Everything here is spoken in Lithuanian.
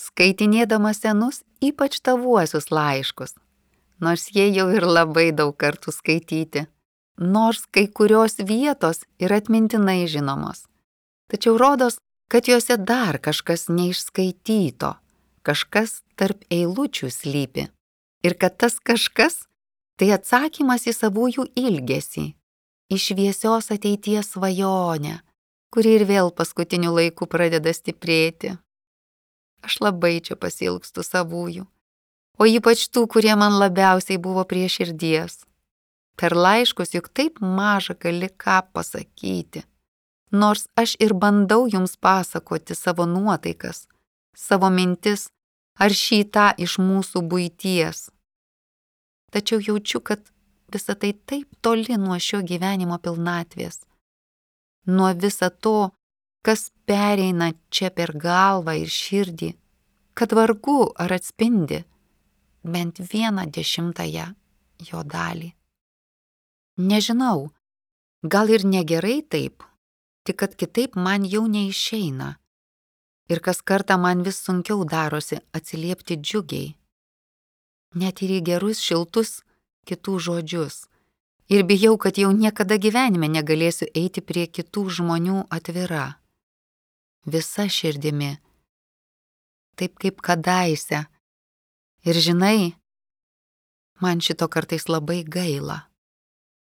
skaitinėdama senus, ypač tavuosius laiškus, nors jie jau ir labai daug kartų skaityti, nors kai kurios vietos ir atmintinai žinomos. Tačiau rodos, kad juose dar kažkas neišskaityto, kažkas tarp eilučių slypi. Ir kad tas kažkas tai atsakymas į savųjų ilgesį, į šviesios ateities svajonę, kuri ir vėl paskutiniu laiku pradeda stiprėti. Aš labai čia pasiilgstu savųjų, o ypač tų, kurie man labiausiai buvo prie širdies. Per laiškus juk taip maža gali ką pasakyti, nors aš ir bandau jums pasakoti savo nuotaikas, savo mintis ar šį tą iš mūsų buities. Tačiau jaučiu, kad visa tai taip toli nuo šio gyvenimo pilnatvės, nuo visa to, kas pereina čia per galvą ir širdį, kad vargu ar atspindi bent 1/10 jo dalį. Nežinau, gal ir negerai taip, tik kad kitaip man jau neišeina. Ir kas kartą man vis sunkiau darosi atsiliepti džiugiai, net ir į gerus šiltus kitų žodžius. Ir bijau, kad jau niekada gyvenime negalėsiu eiti prie kitų žmonių atvira. Visa širdimi, taip kaip kadaise. Ir žinai, man šito kartais labai gaila.